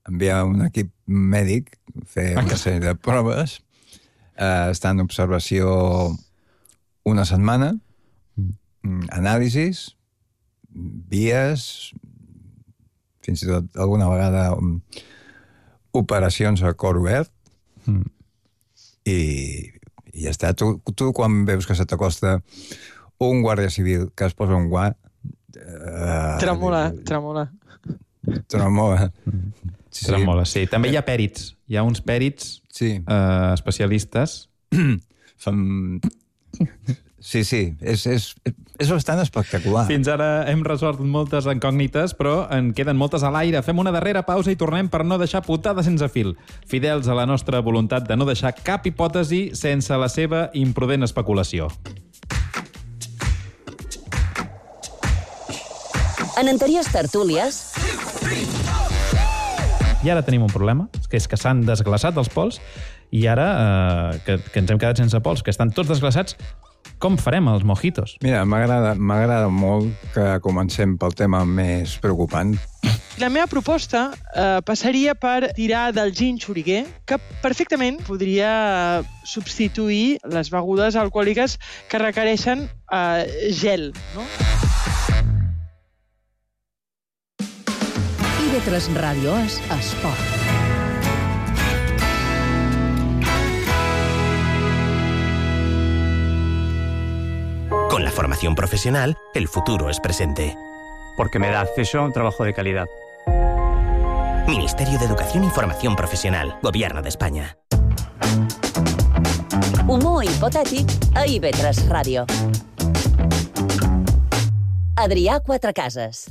Enviar un equip mèdic, fer una sèrie de proves, estar en observació una setmana, anàlisis, vies, fins i tot alguna vegada operacions a cor obert, i ja està. Tu quan veus que se t'acosta un guàrdia civil que es posa un guant... Tremola. Tremola, sí. També hi ha pèrits. Hi ha uns pèrits especialistes. Sí, és bastant espectacular. Fins ara hem resolt moltes incògnites, però en queden moltes a l'aire. Fem una darrera pausa i tornem per no deixar putada sense fil. Fidels a la nostra voluntat de no deixar cap hipòtesi sense la seva imprudent especulació. En anteriors tertúlies... I ara tenim un problema, que és que s'han desglaçat els pols, i ara que ens hem quedat sense pols, que estan tots desglaçats, com farem els mojitos? Mira, m'agrada molt que comencem pel tema més preocupant. La meva proposta passaria per tirar del gin xuriguer, que perfectament podria substituir les begudes alcohòliques que requereixen gel, no? IB3 Ràdio és esport. Con la formación profesional, el futuro es presente. Porque me da acceso a un trabajo de calidad. Ministerio de Educación y Formación Profesional, Gobierno de España. Humor hipotètic a IB3 Ràdio. Adrià Quatrecases.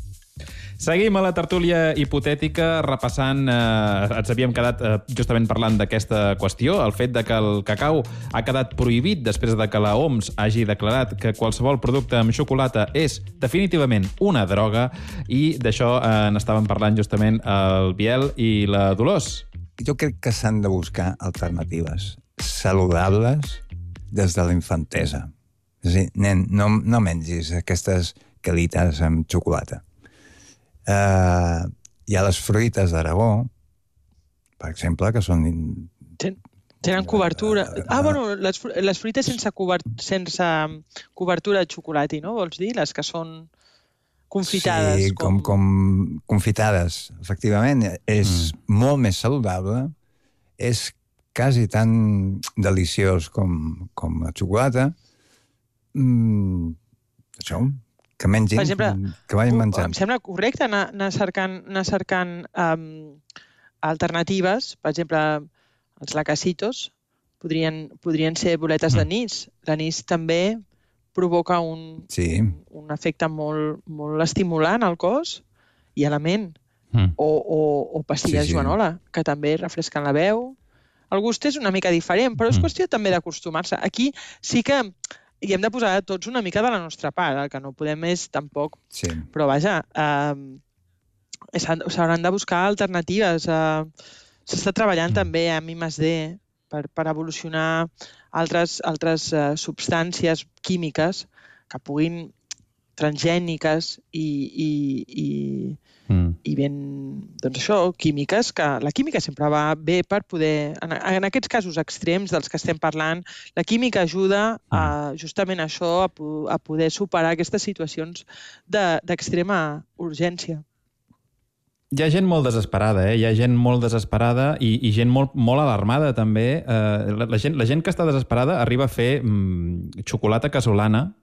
Seguim a la tertúlia hipotètica repassant, ens havíem quedat justament parlant d'aquesta qüestió, el fet de que el cacau ha quedat prohibit després de que la OMS hagi declarat que qualsevol producte amb xocolata és definitivament una droga, i d'això n'estàvem parlant justament el Biel i la Dolors. Jo crec que s'han de buscar alternatives saludables des de la infantesa. És a dir, nen, no mengis aquestes calites amb xocolata. Hi ha les fruites d'Aragó, per exemple, que són... Tenen cobertura. Bueno, les fruites sense cobertura de xocolata, no? Vols dir? Les que són confitades. Sí, com confitades, efectivament. És molt més saludable, és quasi tan deliciós com la xocolata. Això... que mengin, per exemple, que vagin menjant. Em sembla correcte anar cercant alternatives. Per exemple, els lacacitos podrien ser boletes d'anís. L'anís també provoca un efecte molt estimulant al cos i a la ment. O pastilles Joanola, que també refresquen la veu. El gust és una mica diferent, però és qüestió també d'acostumar-se. Aquí sí que hi hem de posar tots una mica de la nostra part, el que no podem és tampoc... Sí. Però vaja, s'hauran de buscar alternatives. S'està treballant també amb I+D per evolucionar altres substàncies químiques que puguin transgèniques i ben, doncs això, químiques, que la química sempre va bé per poder, en aquests casos extrems dels que estem parlant, la química ajuda justament això, a poder superar aquestes situacions d'extrema urgència. Hi ha gent molt desesperada, hi ha gent molt desesperada i gent molt alarmada també. La gent que està desesperada arriba a fer xocolata casolana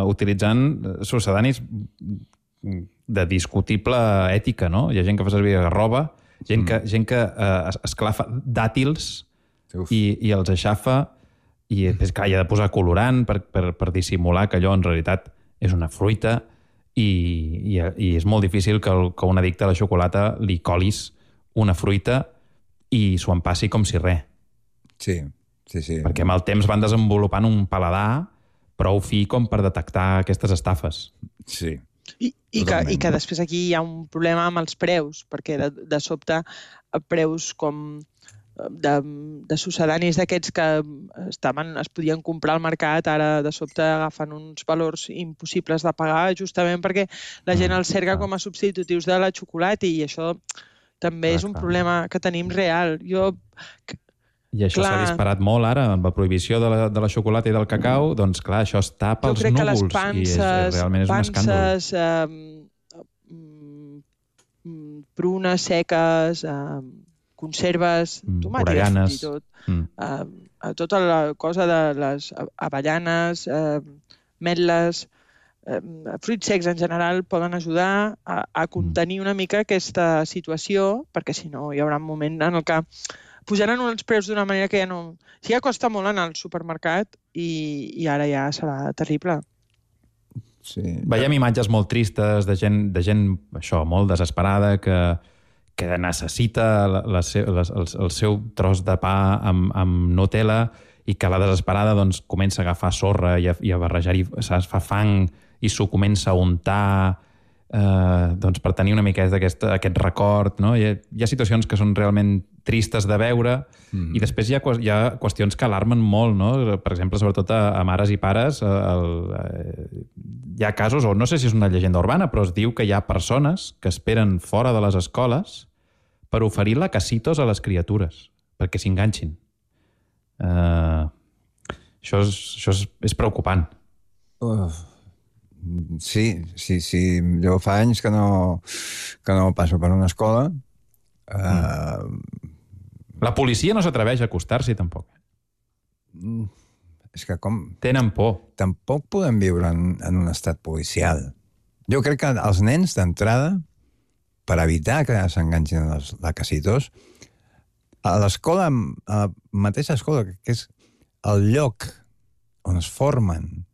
utilitzant succedanis de discutible ètica, no? Hi ha gent que fa servir garrova, gent que esclafa dàtils i els aixafa, i després, clar, hi ha de posar colorant per dissimular que allò en realitat és una fruita, i és molt difícil que un addicte a la xocolata li colis una fruita i s'ho empassi com si res. Sí. Perquè amb el temps van desenvolupant un paladar prou fi com per detectar aquestes estafes. Sí. I que després aquí hi ha un problema amb els preus, perquè de sobte preus com de succedanis d'aquests que es podien comprar al mercat, ara de sobte agafen uns valors impossibles de pagar, justament perquè la gent els cerca com a substitutius de la xocolata, i això també és un problema que tenim real. I això s'ha disparat molt ara, amb la prohibició de la xocolata i del cacau, doncs clar, això es tapa els núvols i realment és un escàndol. prunes seques, conserves, tomàtiques fins i tot, tota la cosa de les avellanes, ametles, fruits secs en general poden ajudar a contenir una mica aquesta situació, perquè si no hi haurà un moment en el que pujaran els preus d'una manera que ja no... Si ja costa molt anar al supermercat i ara ja serà terrible. Sí. Veiem imatges molt tristes de gent això, molt desesperada, que necessita el seu tros de pa amb Nutella i que a la desesperada doncs, comença a agafar sorra i a barrejar-hi, fa fang i s'ho comença a untar doncs, per tenir una miqueta aquest record. No? Hi ha situacions que són realment tristes de veure i després hi ha qüestions que alarmen molt. No? Per exemple, sobretot a mares i pares, hi ha casos, o no sé si és una llegenda urbana, però es diu que hi ha persones que esperen fora de les escoles per oferir lacasitos a les criatures, perquè s'enganxin. Això és preocupant. Sí. Jo fa anys que no passo per una escola. La policia no s'atreveix a acostar-s'hi, tampoc. És que com... Tenen por. Tampoc podem viure en un estat policial. Jo crec que els nens, d'entrada, per evitar que s'enganxin els lacasitos, a l'escola, a la mateixa escola, que és el lloc on es formen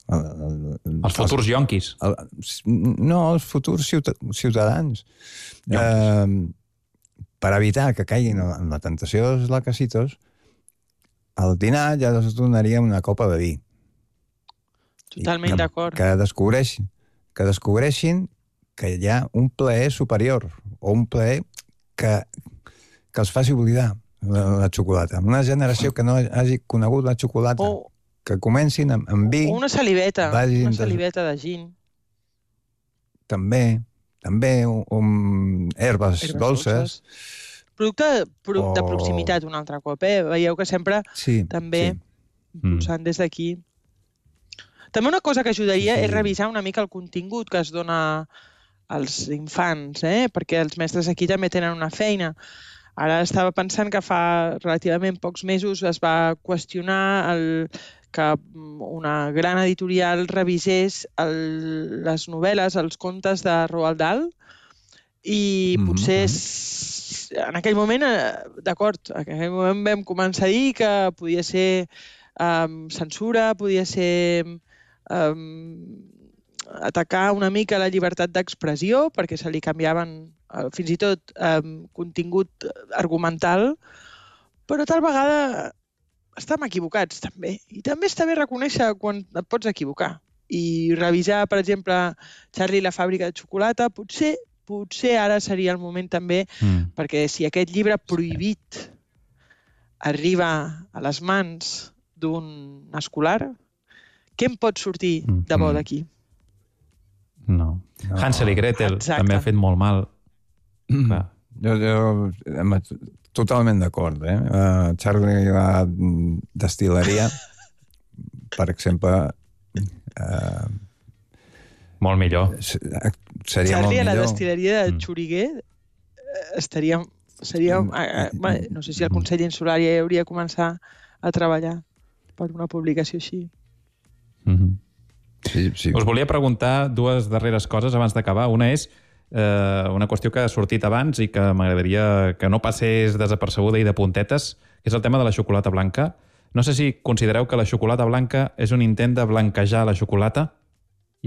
els futurs yonquis. No, els futurs ciutadans. Per evitar que caiguin en la tentació dels lacasitos, al dinar ja es donaria una copa de vi. Totalment d'acord. Que descobreixin que hi ha un plaer superior o un plaer que els faci oblidar la xocolata. Una generació que no hagi conegut la xocolata. Que comencin amb vi... Una saliveta de gin. També herbes dolces. Producte de proximitat un altre cop, Veieu que sempre també impulsant des d'aquí. També una cosa que ajudaria és revisar una mica el contingut que es dona als infants, perquè els mestres aquí també tenen una feina. Ara estava pensant que fa relativament pocs mesos es va qüestionar que una gran editorial revisés les novel·les, els contes de Roald Dahl, i potser en aquell moment, d'acord, en aquell moment vam començar a dir que podia ser censura, podia ser atacar una mica la llibertat d'expressió, perquè se li canviaven fins i tot contingut argumental, però tal vegada estem equivocats, també. I també està bé reconèixer quan et pots equivocar. I revisar, per exemple, Charlie i la fàbrica de xocolata, potser ara seria el moment també, perquè si aquest llibre prohibit arriba a les mans d'un escolar, què em pot sortir de bo d'aquí? No. Hansel i Gretel també ha fet molt mal. Jo totalment d'acord. Charlie i la destil·leria, per exemple... molt millor. Seria molt millor. Charlie a la destil·leria de Xuriguer seria... No sé si el Consell Insular ja hauria de començar a treballar per una publicació així. Sí. Us volia preguntar dues darreres coses abans d'acabar. Una és una qüestió que ha sortit abans i que m'agradaria que no passés desapercebuda i de puntetes, que és el tema de la xocolata blanca. No sé si considereu que la xocolata blanca és un intent de blanquejar la xocolata.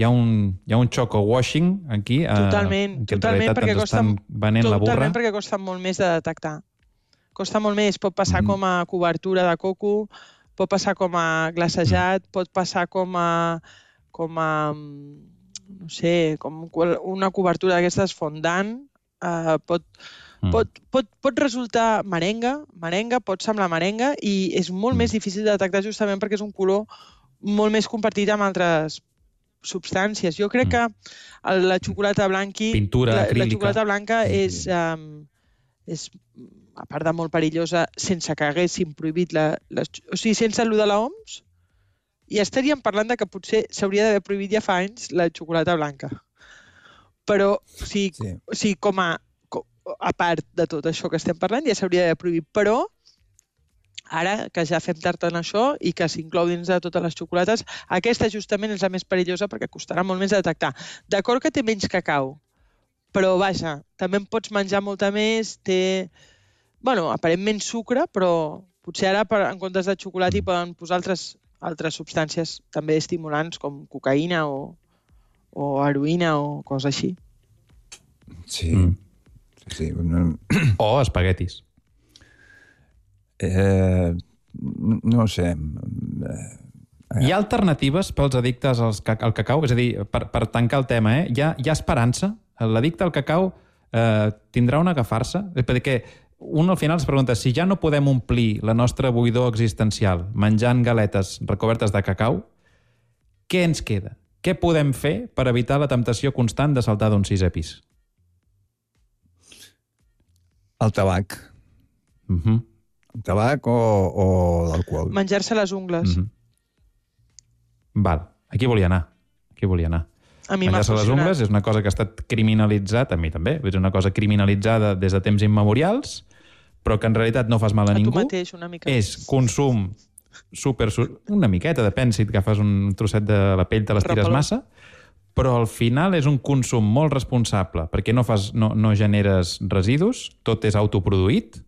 Hi ha un choco-washing aquí. Totalment, perquè costa molt més de detectar. Costa molt més. Pot passar com a cobertura de coco, pot passar com a glacejat, pot passar com a no sé, com una cobertura d'aquestes fondant, pot resultar merenga, pot semblar merenga, i és molt més difícil de detectar justament perquè és un color molt més compartit amb altres substàncies. Jo crec que la xocolata blanca és, a part de molt perillosa, sense que haguessin prohibit o sigui, sense allò de l'OMS, i estaríem parlant de que potser s'hauria d'haver prohibit ja fa anys la xocolata blanca. Però sí, com a part de tot això que estem parlant, ja s'hauria de prohibir. Però ara que ja fem tard en això i que s'inclou dins de totes les xocolates, aquesta justament és la més perillosa perquè costarà molt més de detectar. D'acord que té menys cacau, però vaja, també en pots menjar molta més, té, aparentment sucre, però potser ara en comptes de xocolata hi poden posar altres substàncies també estimulants com cocaïna o heroïna o coses així. Sí. O espaguetis. No sé. Hi ha alternatives pels addictes al cacau? És a dir, per tancar el tema, hi ha esperança? L'addicte al cacau tindrà una agafar-se? Perquè un al final es pregunta si ja no podem omplir la nostra buidor existencial menjant galetes recobertes de cacau, què ens queda? Què podem fer per evitar la temptació constant de saltar d'un 6è pis? El tabac. El tabac o l'alcohol. Menjar-se les ungles. Val, aquí volia anar. A mi m'ha menjar-se les funcionat. ungles és una cosa que ha estat criminalitzat, a mi també, és una cosa criminalitzada des de temps immemorials, però que en realitat no fas mal a ningú. tu mateix, una mica. És consum una miqueta, depèn si et agafes un trosset de la pell, te l'estires Repeló. massa, però al final és un consum molt responsable, perquè no generes residus, tot és autoproduït,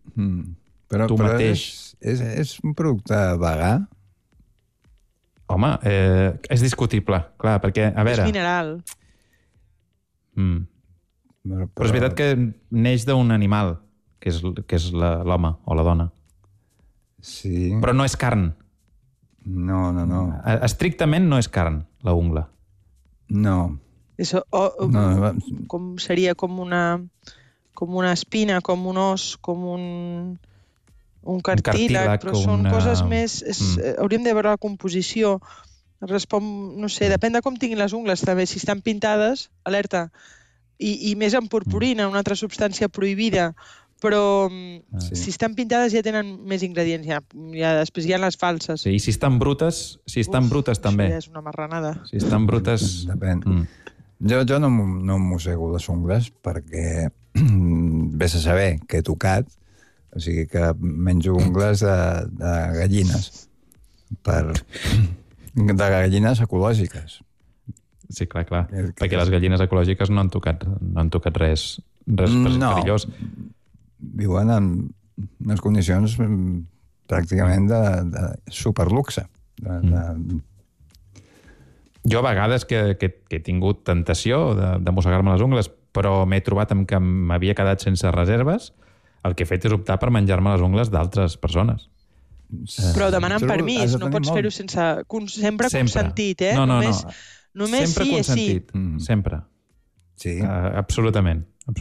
Però mateix... és un producte vegà? Home, és discutible, clar, perquè, a veure... És mineral. Però és veritat que neix d'un animal, que és l'home o la dona. Sí. Però no és carn. No. Estrictament no és carn, la ungla. No. Com seria com una espina, com un os, com un cartílag, però són coses més... Hauríem de veure la composició. Respon, no sé, depèn de com tinguin les ungles, també. Si estan pintades, alerta. I més en purpurina, una altra substància prohibida. Però si estan pintades ja tenen més ingredients. Després hi ha les falses. Sí, i si estan brutes, també. Això ja és una marranada. Si estan brutes... Depèn. Jo no mossego les ungles perquè vés a saber que he tocat, o sigui que menjo ungles de gallines, de gallines ecològiques. Sí, clar, perquè les gallines ecològiques no han tocat res perillós. Viuen en unes condicions pràcticament de superluxe. Jo a vegades que he tingut tentació de mossegar-me les ungles, però m'he trobat amb que m'havia quedat sense reserves, el que he fet és optar per menjar-me les ungles d'altres persones. Però demanant permís, no pots fer-ho sense... Sempre consentit, eh? No. Només sempre sí és sí. Sempre. Sí. Absolutament. I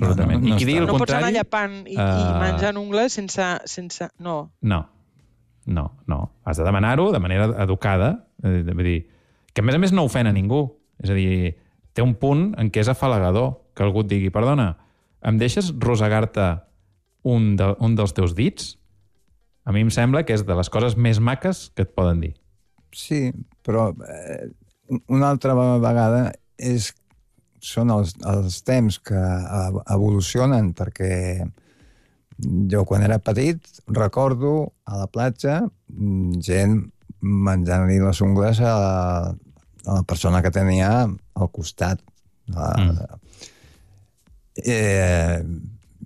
qui digui el contrari... No pots anar llapant i menjant ungles sense... No. No. Has de demanar-ho de manera educada. Vull dir, que a més no ofèn a ningú. És a dir, té un punt en què és afalagador que algú et digui, perdona, em deixes rosegar-te un dels teus dits? A mi em sembla que és de les coses més maques que et poden dir. Sí, però una altra vegada són els temps que evolucionen, perquè jo quan era petit recordo a la platja gent menjant-li les ungles a la persona que tenia al costat.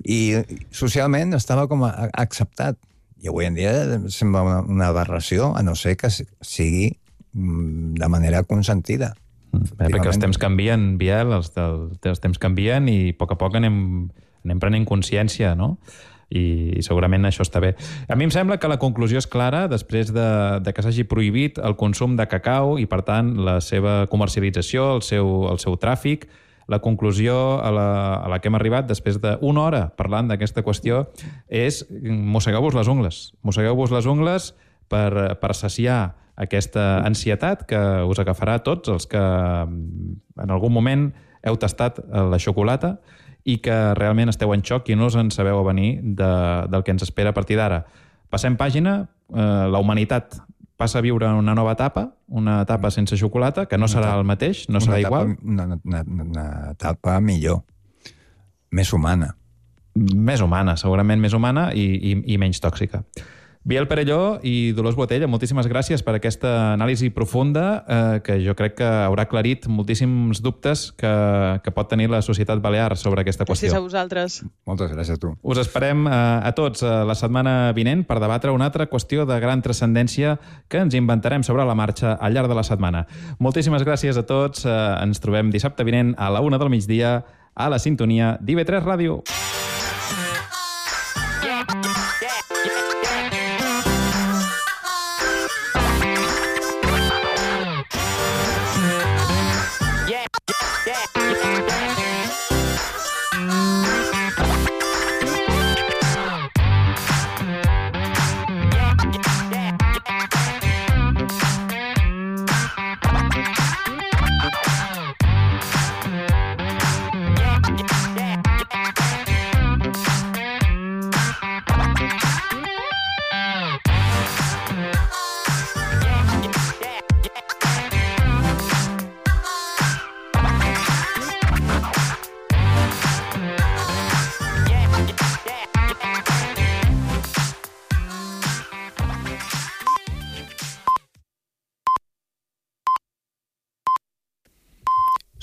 I socialment estava com acceptat. I avui en dia sembla una aberració, a no ser que sigui de manera consentida. Perquè els temps canvien, Biel, els temps canvien i a poc anem prenent consciència, no? I segurament això està bé. A mi em sembla que la conclusió és clara després de que s'hagi prohibit el consum de cacau i, per tant, la seva comercialització, el seu tràfic. La conclusió a la que hem arribat després d'una hora parlant d'aquesta qüestió és mossegeu-vos les ungles. Mossegeu-vos les ungles per saciar aquesta ansietat que us agafarà a tots els que en algun moment heu tastat la xocolata i que realment esteu en xoc i no us en sabeu a venir del que ens espera a partir d'ara. Passem pàgina. La humanitat passa a viure una nova etapa, una etapa sense xocolata, que no serà el mateix, no serà igual. Una etapa millor, més humana. Més humana, segurament més humana i menys tòxica. Biel Perelló i Dolors Botella, moltíssimes gràcies per aquesta anàlisi profunda que jo crec que haurà aclarit moltíssims dubtes que pot tenir la societat balear sobre aquesta qüestió. Gràcies a vosaltres. Moltes gràcies a tu. Us esperem a tots la setmana vinent per debatre una altra qüestió de gran transcendència que ens inventarem sobre la marxa al llarg de la setmana. Moltíssimes gràcies a tots. Ens trobem dissabte vinent a la 1 del migdia a la sintonia d'IV3 Ràdio.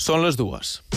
Són les 2.